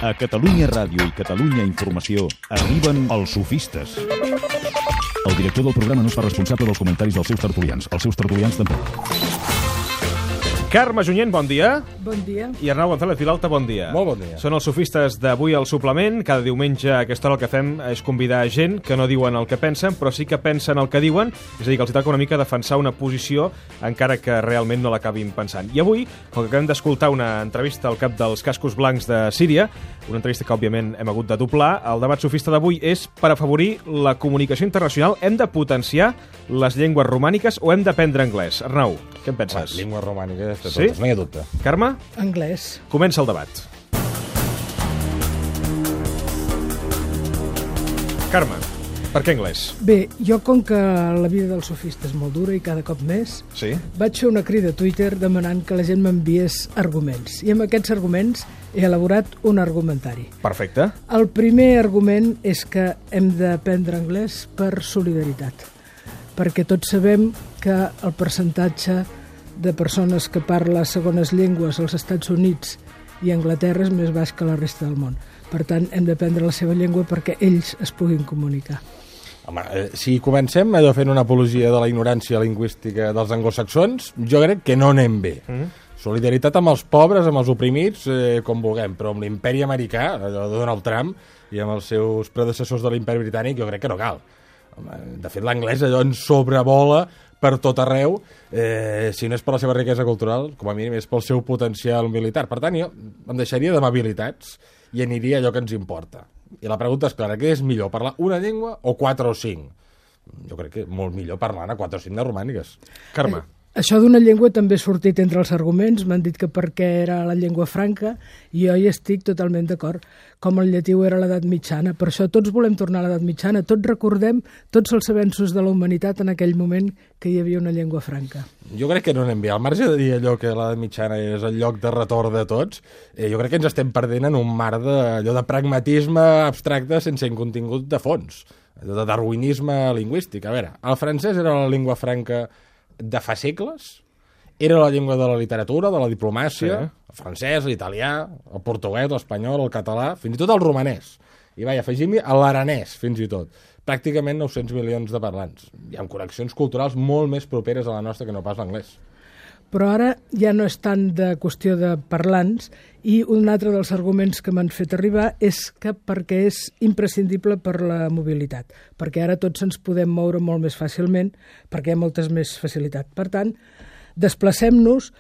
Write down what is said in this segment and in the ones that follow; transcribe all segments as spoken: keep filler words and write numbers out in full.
A Catalunya Ràdio i Catalunya Informació arriben els sofistes. El director del programa no es fa responsable dels comentaris dels seus tertulians. Els seus tertulians tampoc. Carme Junyent, bon dia. Bon dia. I Arnau González Vilalta, bon dia. Molt bon dia. Són els sofistes d'avui al suplement. Cada diumenge a aquesta hora el que fem és convidar gent que no diuen el que pensen, però sí que pensen el que diuen, és a dir, que els toca una mica defensar una posició encara que realment no l'acabin pensant. I avui, com que acabem d'escoltar una entrevista al cap dels cascos blancs de Síria, una entrevista que òbviament hem hagut de doblar, el debat sofista d'avui és per afavorir la comunicació internacional. Hem de potenciar les llengües romàniques o hem d'aprendre anglès? Arnau, què en penses? Les llengües romàniques, de totes, Sí? no hi ha dubte. Carme? Anglès. Comença el debat. Carme, per què anglès? Bé, jo com que la vida del sofista és molt dura i cada cop més, Sí? vaig fer una crida a Twitter demanant que la gent m'enviés arguments. I amb aquests arguments he elaborat un argumentari. Perfecte. El primer argument és que hem d'aprendre anglès per solidaritat, perquè tots sabem que el percentatge de persones que parla segones llengües als Estats Units i Anglaterra és més baix que la resta del món. Per tant, hem d'aprendre la seva llengua perquè ells es puguin comunicar. Home, eh, si comencem allò fent una apologia de la ignorància lingüística dels anglosaxons, jo crec que no anem bé. Mm. Solidaritat amb els pobres, amb els oprimits, eh, com vulguem, però amb l'imperi americà, allò de Donald Trump, i amb els seus predecessors de l'imperi britànic, jo crec que no cal. Home, de fet, l'anglès allò ens sobrevola per tot arreu, eh, si no és per la seva riquesa cultural, com a mínim és pel seu potencial militar. Per tant, jo em deixaria d'amabilitats i aniria a allò que ens importa. I la pregunta és clara, què és millor, parlar una llengua o quatre o cinc? Jo crec que molt millor parlar a quatre o cinc de romàniques. Carme. Eh, Això d'una llengua també ha sortit entre els arguments, m'han dit que perquè era la llengua franca, i jo hi estic totalment d'acord, com el llatí era l'edat mitjana. Per això tots volem tornar a l'edat mitjana, tots recordem tots els avenços de la humanitat en aquell moment que hi havia una llengua franca. Jo crec que no anem bé. Al marge de dir allò que l'edat mitjana és el lloc de retorn de tots, eh, jo crec que ens estem perdent en un mar de, allò de pragmatisme abstracte sense un contingut de fons, allò de darwinisme lingüístic. A veure, el francès era la llengua franca de fa segles, era la llengua de la literatura, de la diplomàcia, sí. El francès, l'italià, el portuguès, l'espanyol, el català, fins i tot el romanès. I vaja, afegim-hi l'aranès, fins i tot. Pràcticament nou-cents milions de parlants. Hi ha connexions culturals molt més properes a la nostra que no pas l'anglès. Però ara ja no és tant de qüestió de parlants, i un altre dels arguments que m'han fet arribar és que perquè és imprescindible per la mobilitat, perquè ara tots ens podem moure molt més fàcilment, perquè hi ha moltes més facilitat. Per tant, desplacem-nos,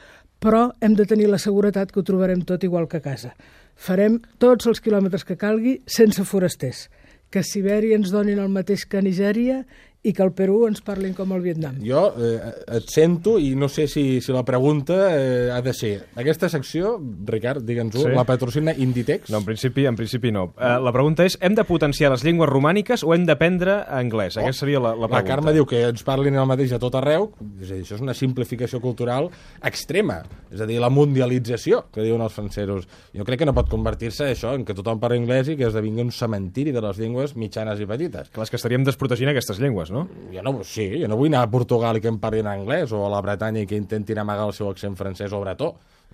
però hem de tenir la seguretat que ho trobarem tot igual que a casa. Farem tots els quilòmetres que calgui sense forasters, que a Sibèria ens donin el mateix que a Nigèria i que al Perú ens parlin com al Vietnam. Jo eh, et sento i no sé si, si la pregunta eh, ha de ser aquesta secció, Ricard, digue'ns-ho, Sí. la patrocina Inditex? No, en principi, en principi no. Uh, la pregunta és, hem de potenciar les llengües romàniques o hem d'aprendre anglès? Oh. Aquesta seria la, la pregunta. La Carme diu que ens parlin el mateix a tot arreu, és a dir, això és una simplificació cultural extrema, és a dir, la mundialització, que diuen els francesos. Jo crec que no pot convertir-se això en que tothom parla anglès i que esdevingui un cementiri de les llengües mitjanes i petites. Clar, és que estaríem desprotegint aquestes llengües, no? Jo no, sí, jo no vull anar a Portugal i que em parlin anglès, o a la Bretanya i que intentin amagar el seu accent francès o bretó.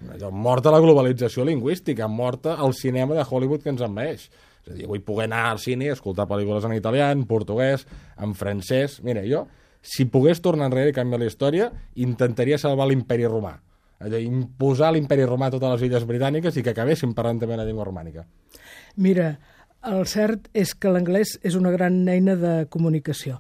Allò, morta la globalització lingüística, morta el cinema de Hollywood que ens envaeix. És a dir, vull poder anar al cine i escoltar pel·lícules en italià, en portuguès, en francès. Mira, jo, si pogués tornar enrere i canviar la història, intentaria salvar l'imperi romà. Allò, imposar l'imperi romà a totes les illes britàniques i que acabessin parlant també la llengua romànica. Mira, el cert és que l'anglès és una gran eina de comunicació.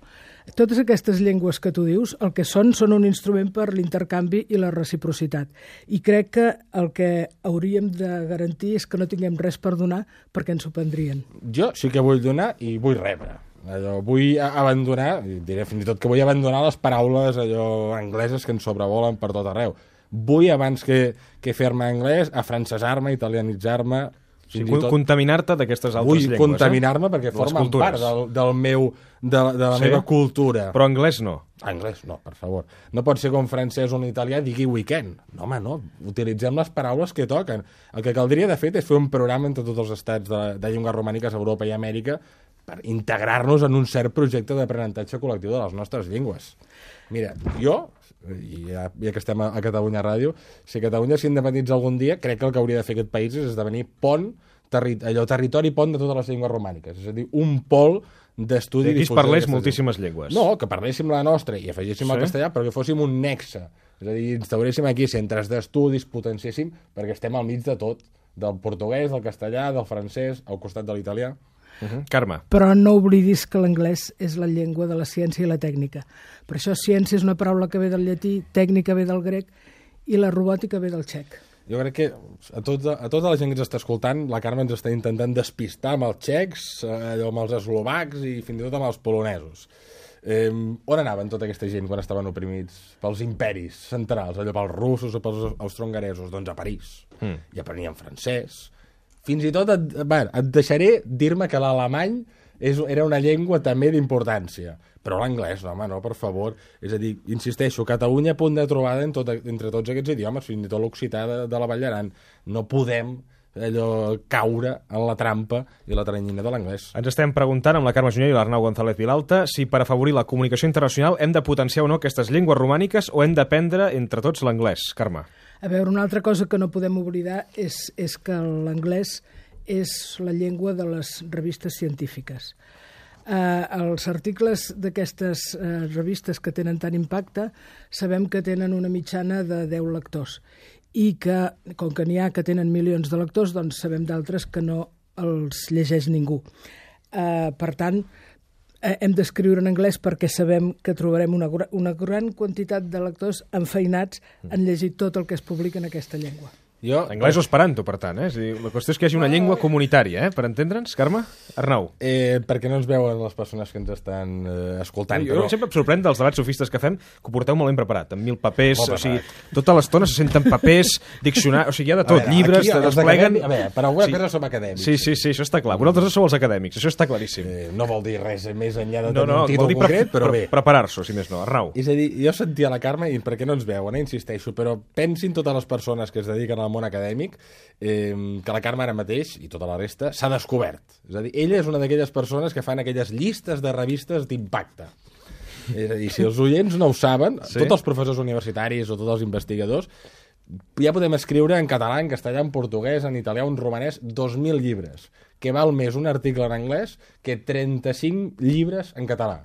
Totes aquestes llengües que tu dius, el que són, són un instrument per l'intercanvi i la reciprocitat. I crec que el que hauríem de garantir és que no tinguem res per donar perquè ens ho prendrien. Jo sí que vull donar i vull rebre. Allò, vull abandonar, diré fins i tot que vull abandonar les paraules allò angleses que ens sobrevolen per tot arreu. Vull, abans que, que fer-me anglès, afrancesar-me, italianitzar-me. Sí, contaminar-te d'aquestes altres vull llengües. Vull contaminar-me perquè Les formen cultures. part del, del meu, de, de la Sí? meva cultura. Però anglès no. Anglès, no, per favor. No pot ser com francès o un italià digui weekend. No, home, no. Utilitzem les paraules que toquen. El que caldria, de fet, és fer un programa entre tots els estats de, de llengües romàniques a Europa i Amèrica per integrar-nos en un cert projecte d'aprenentatge col·lectiu de les nostres llengües. Mira, jo, i ja, ja que estem a, a Catalunya Ràdio, si Catalunya s'independitza algun dia, crec que el que hauria de fer aquest país és esdevenir pont terri allò, territori pont de totes les llengües romàniques, és a dir, un pol d'estudi... Aquí es parlés moltíssimes llengües. No, que parléssim la nostra i afegíssim sí? el castellà, però que fóssim un nexe. És a dir, instauréssim aquí centres d'estudis, potenciéssim, perquè estem al mig de tot, del portuguès, del castellà, del francès, al costat de l'italià. Uh -huh. Carme. Però no oblidis que l'anglès és la llengua de la ciència i la tècnica. Per això ciència és una paraula que ve del llatí, tècnica ve del grec i la robòtica ve del txec. Jo crec que a, tot, a tota la gent que ens està escoltant, la Carme ens està intentant despistar amb els txecs, allò, amb els eslovacs i fins i tot amb els polonesos. Eh, on anaven tota aquesta gent quan estaven oprimits pels imperis centrals, allò pels russos o pels austrohongaresos? Doncs a París. Mm. I aprenien francès. Fins i tot et, bé, et deixaré dir-me que l'alemany és, era una llengua també d'importància. Però l'anglès, home, no, per favor. És a dir, insisteixo, Catalunya a punt de trobada en tot, entre tots aquests idiomes, fins i tot l'occità de, de la Vall d'Aran. No podem allò caure en la trampa i la teranyina de l'anglès. Ens estem preguntant amb la Carme Junyent i l'Arnau González Vilalta si per afavorir la comunicació internacional hem de potenciar o no aquestes llengües romàniques o hem d'aprendre entre tots l'anglès. Carme. A veure, una altra cosa que no podem oblidar és, és que l'anglès és la llengua de les revistes científiques. Eh, els articles d'aquestes eh, revistes que tenen tant impacte sabem que tenen una mitjana de deu lectors i que, com que n'hi ha que tenen milions de lectors, doncs sabem d'altres que no els llegeix ningú. Eh, per tant, eh, hem d'escriure en anglès perquè sabem que trobarem una, una gran quantitat de lectors enfeinats en llegir tot el que es publica en aquesta llengua. Jo, anglès o esperanto, per tant, eh? És a dir, la qüestió és que hi hagi una llengua comunitària, eh? Per entendre'ns, Carme? Arnau. Eh, perquè no ens veuen les persones que ens estan eh, escoltant. Jo però... sempre em sorprèn dels debats sofistes que fem que ho porteu molt ben preparat, amb mil papers, oh, o sigui, tota l'estona se senten papers, diccionaris, o sigui, hi ha de tot, veure, llibres, te despleguen... A veure, per alguna sí. cosa som acadèmics. Sí, sí, sí, això està clar. Vosaltres sou els acadèmics, això està claríssim. Eh, no vol dir res més enllà de no, tenir no, un títol concret, però bé. Preparar-s'ho, si més no. Arnau. És a dir, jo sentia la Carme, i perquè no ens veuen, eh, insisteixo, però pensin totes les persones que es dediquen al món acadèmic Eh, que la Carme ara mateix, i tota la resta, s'ha descobert. És a dir, ella és una d'aquelles persones que fan aquelles llistes de revistes d'impacte. És a dir, si els oients no ho saben, sí? Tots els professors universitaris o tots els investigadors, ja podem escriure en català, en castellà, en portuguès, en italià, en romanès, dos mil llibres, que val més un article en anglès que trenta-cinc llibres en català.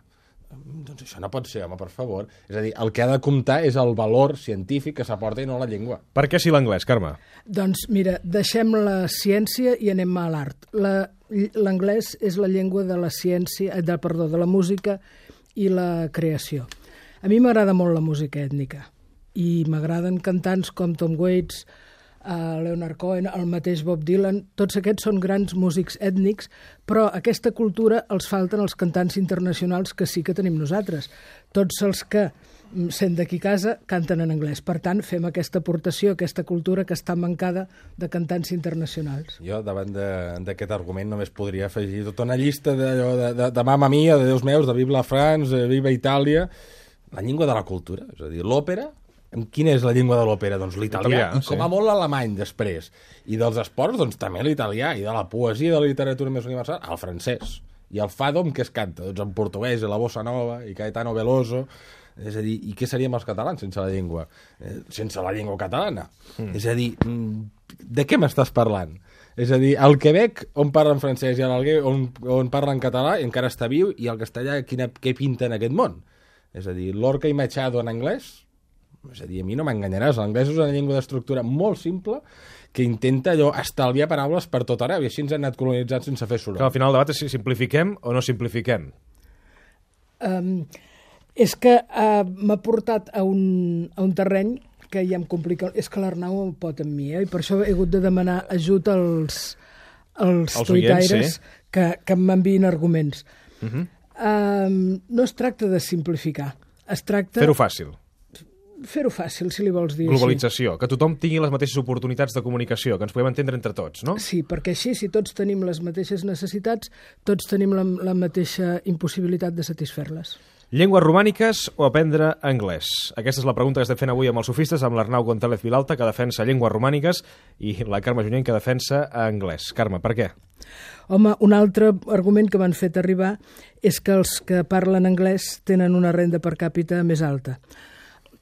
Doncs això no pot ser, home, per favor. És a dir, el que ha de comptar és el valor científic que s'aporta i no la llengua. Per què sí l'anglès, Carme? Doncs mira, deixem la ciència i anem a l'art. L'anglès és la llengua de la ciència, de, perdó, de la música i la creació. A mi m'agrada molt la música ètnica i m'agraden cantants com Tom Waits, Uh, Leonard Cohen, el mateix Bob Dylan, tots aquests són grans músics ètnics, però aquesta cultura els falten els cantants internacionals que sí que tenim nosaltres. Tots els que, sent d'aquí casa, canten en anglès. Per tant, fem aquesta aportació, aquesta cultura que està mancada de cantants internacionals. Jo, davant d'aquest argument, només podria afegir tota una llista de, de, de, de Mamma Mia, de Déus meus, de Viva la France, de Viva Itàlia, la llengua de la cultura, és a dir, l'òpera. Quina és la llengua de l'òpera? Doncs l'italià, i com a molt l'alemany després. I dels esports, doncs també l'italià, i de la poesia i de la literatura més universal, el francès. I el fado, amb què es canta? Doncs en portuguès, i la bossa nova, i Caetano Veloso. És a dir, i què seríem els catalans sense la llengua? Eh, sense la llengua catalana. Mm. És a dir, de què m'estàs parlant? És a dir, el Quebec, on parlen francès, i l'Alguer, on, on parlen català, encara està viu, i el castellà, quina, què pinta en aquest món? És a dir, Lorca i Machado en anglès? És a dir, a mi no m'enganyaràs, l'anglès és una llengua d'estructura molt simple que intenta allò estalviar paraules per tot arreu, i així ens han anat colonitzant sense fer soroll. Que al final el debat és si simplifiquem o no simplifiquem. Um, és que uh, m'ha portat a un, a un terreny que ja em complica. És que l'Arnau pot amb mi, eh? I per això he hagut de demanar ajut als, als, als tuitaires sí? que, que m'enviïn arguments. Uh -huh. um, no es tracta de simplificar, es tracta... Fer-ho fàcil. Fer-ho fàcil, si li vols dir Globalització, així. Que tothom tingui les mateixes oportunitats de comunicació, que ens puguem entendre entre tots, no? Sí, perquè així, si tots tenim les mateixes necessitats, tots tenim la, la mateixa impossibilitat de satisfer-les. Llengües romàniques o aprendre anglès? Aquesta és la pregunta que estem fent avui amb els sofistes, amb l'Arnau González Vilalta, que defensa llengües romàniques, i la Carme Junyent, que defensa anglès. Carme, per què? Home, un altre argument que m'han fet arribar és que els que parlen anglès tenen una renda per càpita més alta.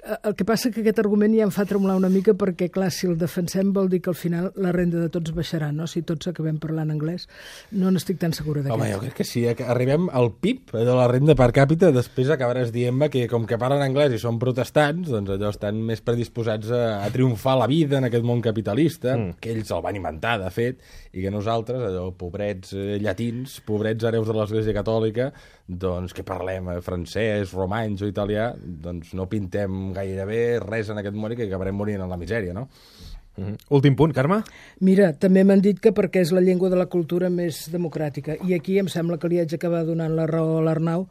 El que passa que aquest argument ja em fa tremolar una mica perquè, clar, si el defensem vol dir que al final la renda de tots baixarà, no? Si tots acabem parlant anglès, no n'estic tan segura d'aquest. Home, jo crec que sí, que arribem al P I B de la renda per càpita, després acabaràs dient-me que com que parlen anglès i són protestants, doncs allò estan més predisposats a, a triomfar la vida en aquest món capitalista, mm. que ells el van inventar, de fet, i que nosaltres, allò, pobrets eh, llatins, pobrets hereus de l'Església Catòlica, doncs que parlem eh, francès, romanys o italià, doncs no pintem gairebé res en aquest món i que acabarem morint en la misèria, no? Mm-hmm. Últim punt, Carme? Mira, també m'han dit que perquè és la llengua de la cultura més democràtica. I aquí em sembla que li haig d'acabar donant la raó a l'Arnau,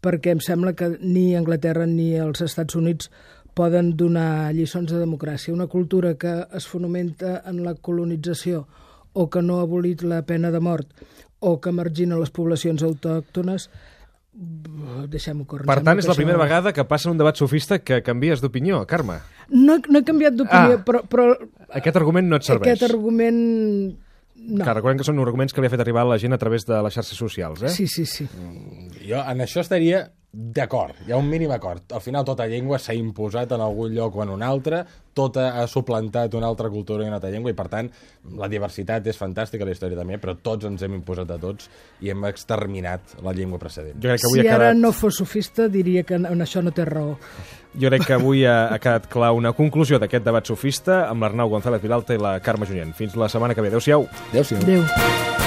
perquè em sembla que ni Anglaterra ni els Estats Units poden donar lliçons de democràcia. Una cultura que es fonamenta en la colonització o que no ha abolit la pena de mort o que margina les poblacions autòctones, deixem-ho córrer. Per tant, és la primera vegada que passa en un debat sofista que canvies d'opinió, Carme. No, no he canviat d'opinió, ah, però, però... Aquest argument no et serveix. Aquest argument... No. Que recordem que són arguments que li ha fet arribar a la gent a través de les xarxes socials, eh? Sí, sí, sí. Jo en això estaria d'acord, hi ha un mínim acord. Al final tota llengua s'ha imposat en algun lloc o en un altre, tota ha suplantat una altra cultura i una altra llengua, i per tant la diversitat és fantàstica, la història també, però tots ens hem imposat a tots i hem exterminat la llengua precedent. Jo crec que avui si ha quedat... ara no fos sofista diria que en això no té raó. Jo crec que avui ha, ha quedat clar una conclusió d'aquest debat sofista amb l'Arnau González Vilalta i la Carme Junyent. Fins la setmana que ve. Adéu-siau. Adéu-siau. Adéu.